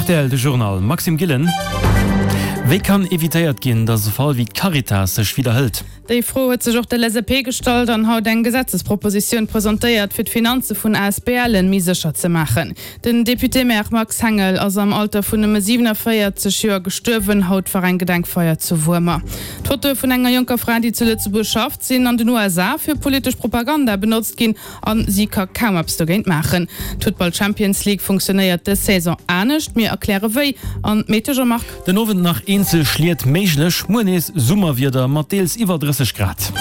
Rtl, de Journal, Maxime Gillen. Wéi kann evitéiert ginn, datt e Fall wéi d'Caritas sech widderhëlt? Déi Fro huet sech och d'LSAP gestallt an haut eng Gesetzespropositioun presentéiert, fir d'Finanze vun ASBLen méi sécher ze maachen. Den Député-maire Max Hengel ass am Alter vun nëmme 47 Joer gestuerwen. Haut war eng Gedenkfeier zu Wuermer. D'Fotoe vun enger jonker Fra, déi zu Lëtzebuerg schafft, sinn an den USA fir politesch Propaganda benotzt ginn. A si ka kaum eppes dogéint maachen. D'Futtball Champions League funktionéiert dës Saison anescht. Mir erkläre wéi. An d'Metesch a Marc. Den Owend nach eenzel Schliet méiglech, muer nees Summerwieder mat deels iwwer 30 Grad.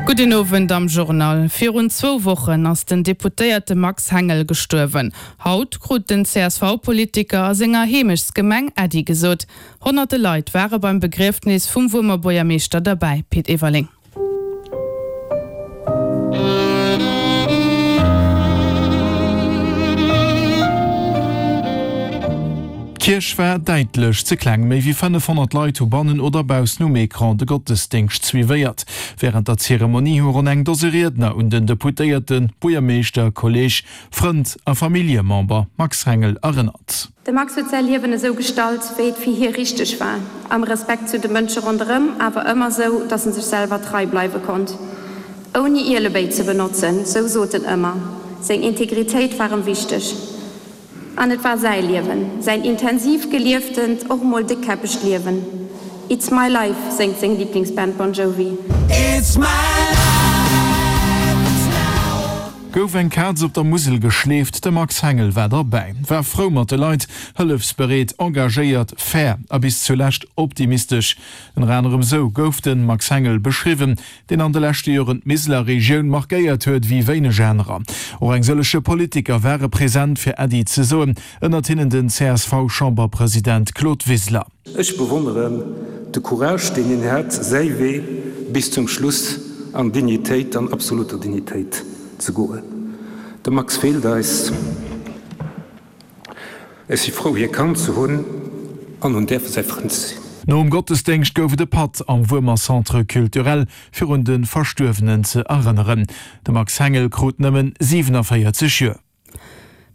Gudden Owend am Journal. Virun zwou Wochen ass den Deputéierte Max Hengel gestuerwen. Haut krut den CSV-Politiker a senger Heemechtsgemeng Äddi gesot. Honnerte Leit ware beim Begriefnis vum Wuermer Buergermeeschter derbäi. Pit Everling. D'Kierch war däitlech ze kleng. Méi wéi 500 Leit hu bannen oder baussen um Ecran de Gottesdéngscht suivéiert. Wärend der Zeremonie hu ronn eng Dose Riedner un den Deputéierten, Buergermeeschter, Kolleeg, Frënd a Familljemember Max Hengel erënnert. De Max huet säi Liewen esou gestalt, wéi et fir hie richteg war, am Respekt zu de Mënsche ronderëm, awer ëmmer sou, datt en sech selwer trei bleiwe konnt, ouni Ielebéi ze benotzen, sou sot en ëmmer. Seng Integritéit war em wichteg. An et war säi Liewen, säin intensiv gelieftent, och mol déckkäppegt Liewen. It's my life, séngt seng Liblingsband Bon Jovi. It's my life, it's now. Gouf eng Kaz op der Musel geschleeft, de Max Hengel war derbäi, war frou mat de Leit, hëllefsbereet, engagéiert, fair a bis zulescht optimistesch. Ënner anerem sou gouf de Max Hengel beschriwwen, deen an de leschte Joren d'Miseler Regioun markéiert huet wéi wéineg anerer. Och eng sëllege Politiker ware present fir Äddi ze soen, ënnert hinnen den CSV-Chamberpresident Claude Wiseler. Ech bewonneren de Courage, deen hien hat, säi Wee bis zum Schluss an Dignitéit, an absoluter Dignitéit ze goen. De Max feelt eis. Ech si frou, hie kannt ze hunn an hunn däerfe säi Frënd ze sinn. Nom Gottesdéngscht gouf et e Patt am Wuermer Centre Culturel, fir un de Verstuerwenen ze erënneren. De Max Hengel krut nëmmen 47 Joer.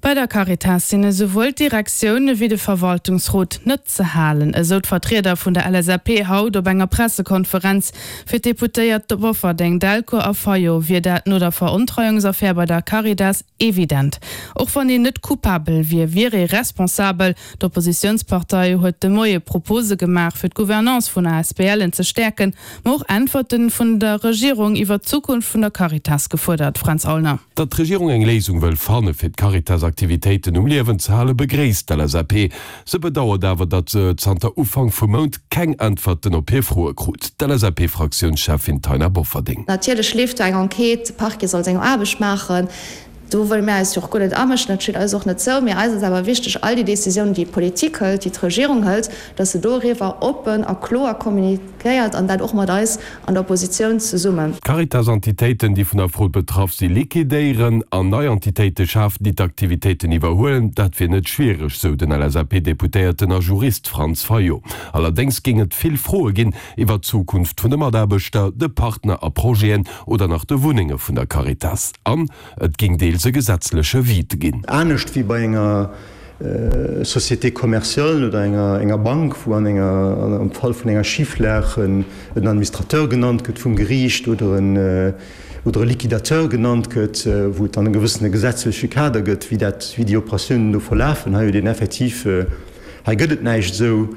Bei der Caritas sinn esouwuel d'Direktioun ewéi de Verwaltungsrot net ze halen, esou d'Vertrieder vun der LSAP haut op enger Pressekonferenz. Fir d'Deputéiert Bofferdeng, Delcourt a Fayot wier dat no der Verontreiungsaffär bei der Caritas evident. Och wann een net coupabel wier, wier ee responsabel. D'Oppositiounspartei huet de Moie Propose gemaach, fir d'Gouvernance vun ASBLen ze stäerken, ma och Äntwerte vun der Regierung iwwer d'Zukunft vun der Caritas gefuerdert. Fränz Aulner. Datt d'Regierung eng Léisung wëll fanne fir d'Caritas-Aktivitéiten um Liewen ze hale begréisst d'LSAP. Se bedauert awer, datt se zanter Ufank vum Mount keng Äntwerten op hir Froe krut. D'LSAP-Fraktiounscheffin Taina Bofferding. Natierlech leeft do eng Enquête, de Parquet soll seng Aarbecht maachen. Do wëlle mir eis jo och guer net amëschen, dat steet eis och net zou. Mee eis ass awer wichteg, all déi Décisiounen, déi d'Politik hëlt, déi d'Regierung hëlt, datt se doriwwer oppen a kloer kommuniquéiert an dat och mat eis an der Oppositioun zesummen. D'Caritas-Entitéiten, déi vun der Frod betraff si liquidéieren an nei Entitéite schafen, déi d'Aktivitéiten iwwerhuelen, dat wier net schwiereg, sou den LSAP-Deputéierten a Jurist Franz Fayot. Allerdéngs géing et vill Froe ginn iwwer d'Zukunft vun de Mataarbechter, de Partner a Projeten oder nach de Wunnenge vun der Caritas. An et géing deels e gesetzleche Vide ginn. Anescht wéi bei enger Société commerciale oder enger Bank, wou an enger, am Fall vun enger Schiflag en Administrateur genannt gëtt vum Geriicht oder en, oder e Liquidateur genannt gëtt, wou et dann e gewëssene gesetzleche Kader gëtt, wéi dat, wéi déi Operatiounen do verlafen. Hei huet een effektiv, hei gëtt et näischt esou.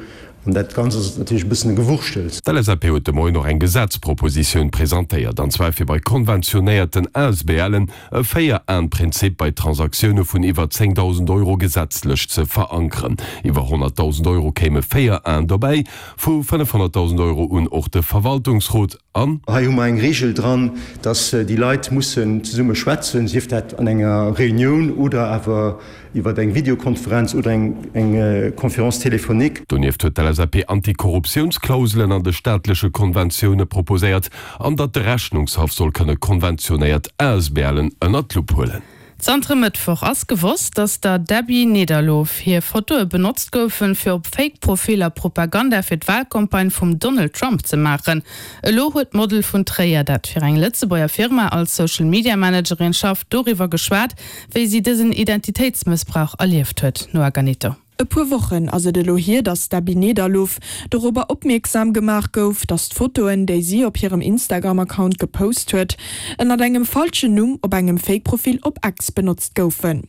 An dat Ganzt ass natierlech e bëssen e Gewurschtels. D'LSAP huet de Moien och eng Gesetzpropositioun presentéiert, an zwar fir bei konventionéierten ASBLen e Véier-Aen-Prinzip bei Transaktioune vun iwwer 10.000 Euro gesetzlech ze verankeren. Iwwer 100.000 Euro kéime 4 Aen dobäi, vu 500.000 Euro un och de Verwaltungsrot an. Hei hu mer eng Regel dran, dass déi Leit mussen zesumme schwätzen, sief dat an enger Reunioun oder awer iwwer eng Videokonferenz oder eng Conférence téléphonique. Donieft huet d'LSAP Antikorruptiounsklauselen an de staatleche Konventioune proposéiert an datt de Rechnungshaff soll kënne konventionéiert ASBLen ënnert d'Lupp huelen. Zanter e Mëttwoch ass gewosst, datt der Debbie Nederlof hir Fotoe benotzt goufen, fir op Fake-Profiller Propaganda fir d'Walcampagne vum Donald Trump ze maachen. Elo huet d'Model vun Tréier, dat fir eng Lëtzebuerger Firma als Social Media Managerin schafft, doriwwer geschwat, wéi si dësen Identitéitsmëssbrauch erlieft huet. Noa Ganito. E puer Wochen ass et elo hier, datt d'Debbie Nederlof dorobber opmierksam gemaach gouf, datt d'Fotoen, déi si op hirem Instagram-Account gepost huet, ënnert engem falschen Numm op engem Fake-Profil op X benotzt goufen.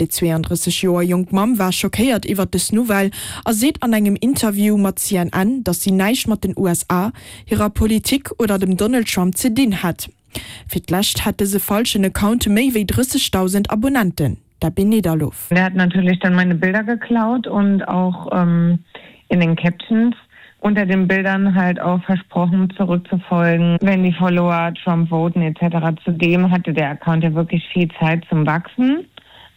Déi 32 Joer jonk Mamm war schockéiert iwwert dës Nouvelle a seet an engem Interview mat CNN, datt si näischt mat den USA, hirer Politik oder dem Donald Trump ze dinn hätt. Fir d'lescht hat dëse falschen Account méi wéi 30.000 Abonnenten. Debbie Nederlof. Der hat natürlich dann meine Bilder geklaut und auch ähm, in den Captions unter den Bildern halt auch versprochen zurückzufolgen, wenn die Follower Trump voten etc. Zudem hatte der Account ja wirklich viel Zeit zum Wachsen.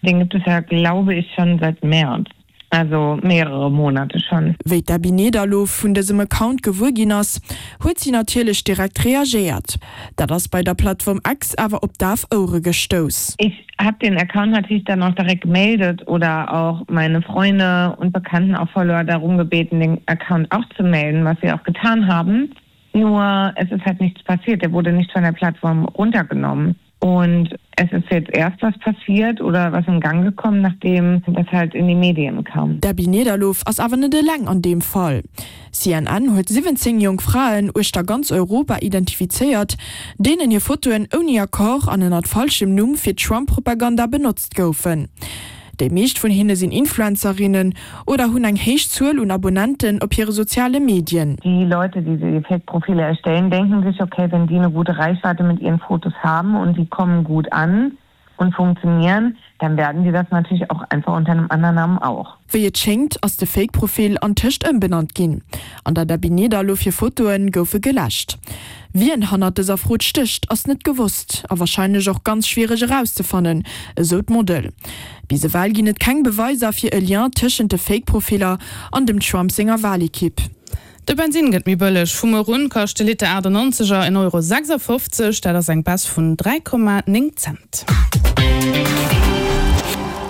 Den gibt es ja glaube ich schon seit März also mehrere Monate schon. Wéi d'Debbie Nederlof vun dësem Account gewuer ginn ass, huet si natierlech direkt reagéiert. Dat ass bei der Plattform X awer op daf Ouere gestouss. Ich hab den Account natürlich dann auch direkt gemeldet oder auch meine Freunde und Bekannten auch Follower darum gebeten, den Account auch zu melden, was sie auch getan haben. Nur es ist halt nichts passiert, er wurde nicht von der Plattform runtergenommen. Und es ist jetzt erst was passiert oder was in Gang gekommen, nachdem das halt in die Medien kam. D'Debbie Nederlof ass awer net eleng an deem Fall. CNN huet 17 jonk Fraen uechter ganz Europa identifizéiert, deenen hir Fotoen ouni Accord an ënnert falschem Numm fir Trump-Propaganda benotzt goufen. Déi meescht vun hinne sinn Influencerinnen oder hunn eng héich Zuel un Abonnenten op hire soziale Medien. Die Leute, die die Fake-Profile erstellen, denken sich, okay, wenn die eine gute Reichweite mit ihren Fotos haben und die kommen gut an und funktionieren, dann werden die das natürlich auch einfach unter einem anderen Namen auch. Wéi et schéngt, ass de Fake-Profil antëscht ëmbenannt ginn an der Debbie Nederlof hir Fotoe goufe geläscht. Wien hannert dëser Frod stécht, ass net gewosst a warscheinlech och ganz schwiereg erauszefannen, esou d'Model. Bis ewell ginn et keng Beweiser fir e Lien tëschent de Fake-Profiller an dem Trump senger Walekipp. De Bensinn gëtt méi bëlleg. Vu muer un kascht de Liter 98 er 1,56 Euro, dat ass eng Baisse vun 3,9 Cent.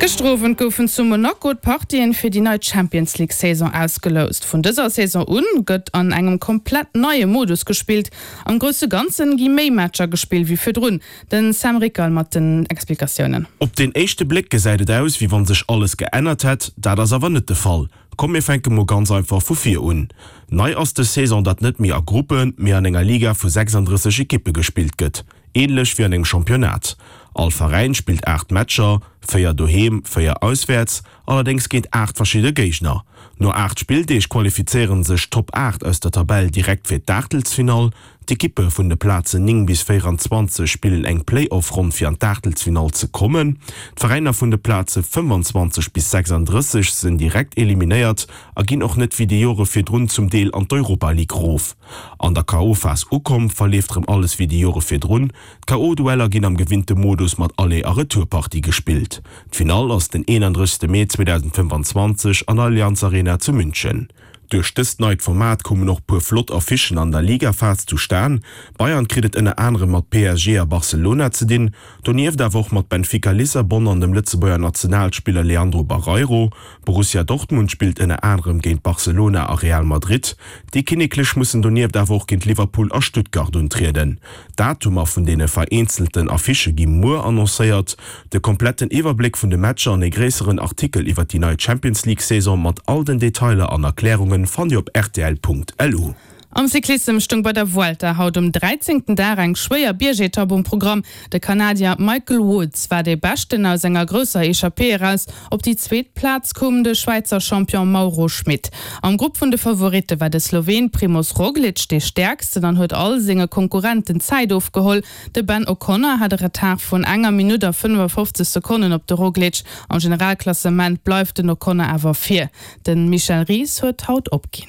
Gëschter Owend goufen zu Monaco d'Partien fir déi nei Champions League Saison ausgeloust. Vun dëser Saison un gëtt an engem komplett neie Modus gespillt. Am grousse Ganzen gi méi Matcher gespillt wéi virdrun. Den Sam Rickerl mat den Explikatiounen. Op den éischte Bléck gesäit et aus, wéi wann sech alles geännert hätt. Dat ass awer net de Fall. Komm mir fänke mol ganz einfach vu vir un. Nei ass dës Saison, datt net méi a Gruppen, mee an enger Liga vu 36 Ekippe gespillt gëtt, änlech wéi an engem Championnat. All Veräin spillt 8 Matcher, 4 doheem, 4 auswäerts, allerdéngs géint 8 verschidde Géigner. No 8 Spilldeeg qualifizéiere sech d'Top 8 aus der Tabell direkt fir d'Aachtelsfinall. D'Ekippe vun de Plazen 9 bis 24 spillen eng Play-Off-Ronn fir an d'Aachtelsfinall ze kommen. D'Veräiner vun de Plaze 25 bis 36 sinn direkt eliminéiert a ginn och net wéi déi Jore virdrun zum Deel an d'Europa League rof. An der KO-Phas ukomm, verleeft rëm alles wéi déi Jore virdrun. D'KO-Dueller ginn am gewinnte Modus mat Aller a Retourpartie gespillt. D'Finall ass den 31 Mee 2025 an der Allianz Arena zu München. Duerch dëst neit Format koumen och puer flott Affichen an der Ligaphas zustan. Bayern kritt et ënner anerem mat PSG a Barcelona ze dinn, donieft awer och mat Benfica Lissabon an dem Lëtzebuerger Nationalspiller Leandro Barreiro. Borussia Dortmund spillt ënner anerem géint Barcelona a Real Madrid. Déi Kinneklech mussen donieft awer och géint Liverpool a Stuttgart untrieden. D'Datumer vun deene vereenzelten Affichë gi muer annoncéiert. De kompletten Iwwerbléck vun de Matcher an e gréisseren Artikel iwwer déi nei Champions League Saison mat all den Detailer an Erklärungen fannt Dir op rtl.lu. Am Cyclissem stoung bei der Vuelta haut um dräizéngten Dag eng schwéier Biergetapp um Programm. De Kanadier Michael Woods war dee Beschten aus enger grousser Echappée eraus. Op déi zweet Plaz koum de Schwäizer Champion Mauro Schmit. Am Grupp vun de Favoritte war de Sloween Primoz Roglic dee Stäerksten an huet all senge Konkurrenten Zäit ofgeholl. De Ben O'Connor hat e Retard vun enger Minutt a 55 Sekonnen op de Roglic. Am Generalklassement bleift den O'Connor awer vir. De Michel Ries huet haut opginn.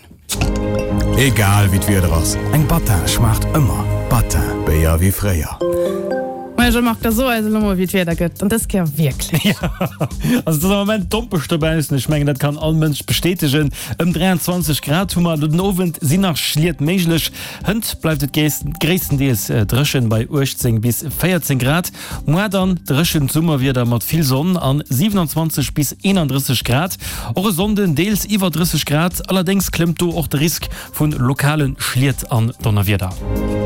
Egal wéi d'Wieder ass, eng Battin schmaacht ëmmer. Battin, Béier wéi fréier. Majo Jean-Marc, da so eis elo mol wéi d'Wieder gëtt, an dës Kéier wierklech. Jo, also et ass am Moment dompeg dobaussen, ech mengen dat kann all Mënsch bestätegen. Ëm 23 Grad hu mer elo den Owend, sinn nach Schliet méiglech. Hënt bleift et gréisstendeels dréchen bei 18 bis 14 Grad. Moar dann dréchent Summerwieder mat vill Sonn an 27 bis 31 Grad. Och e Sonnden deels iwwer 30 Grad, allerdéngs klëmmt do och de Risk vu lokale Schliet an Donnerwieder.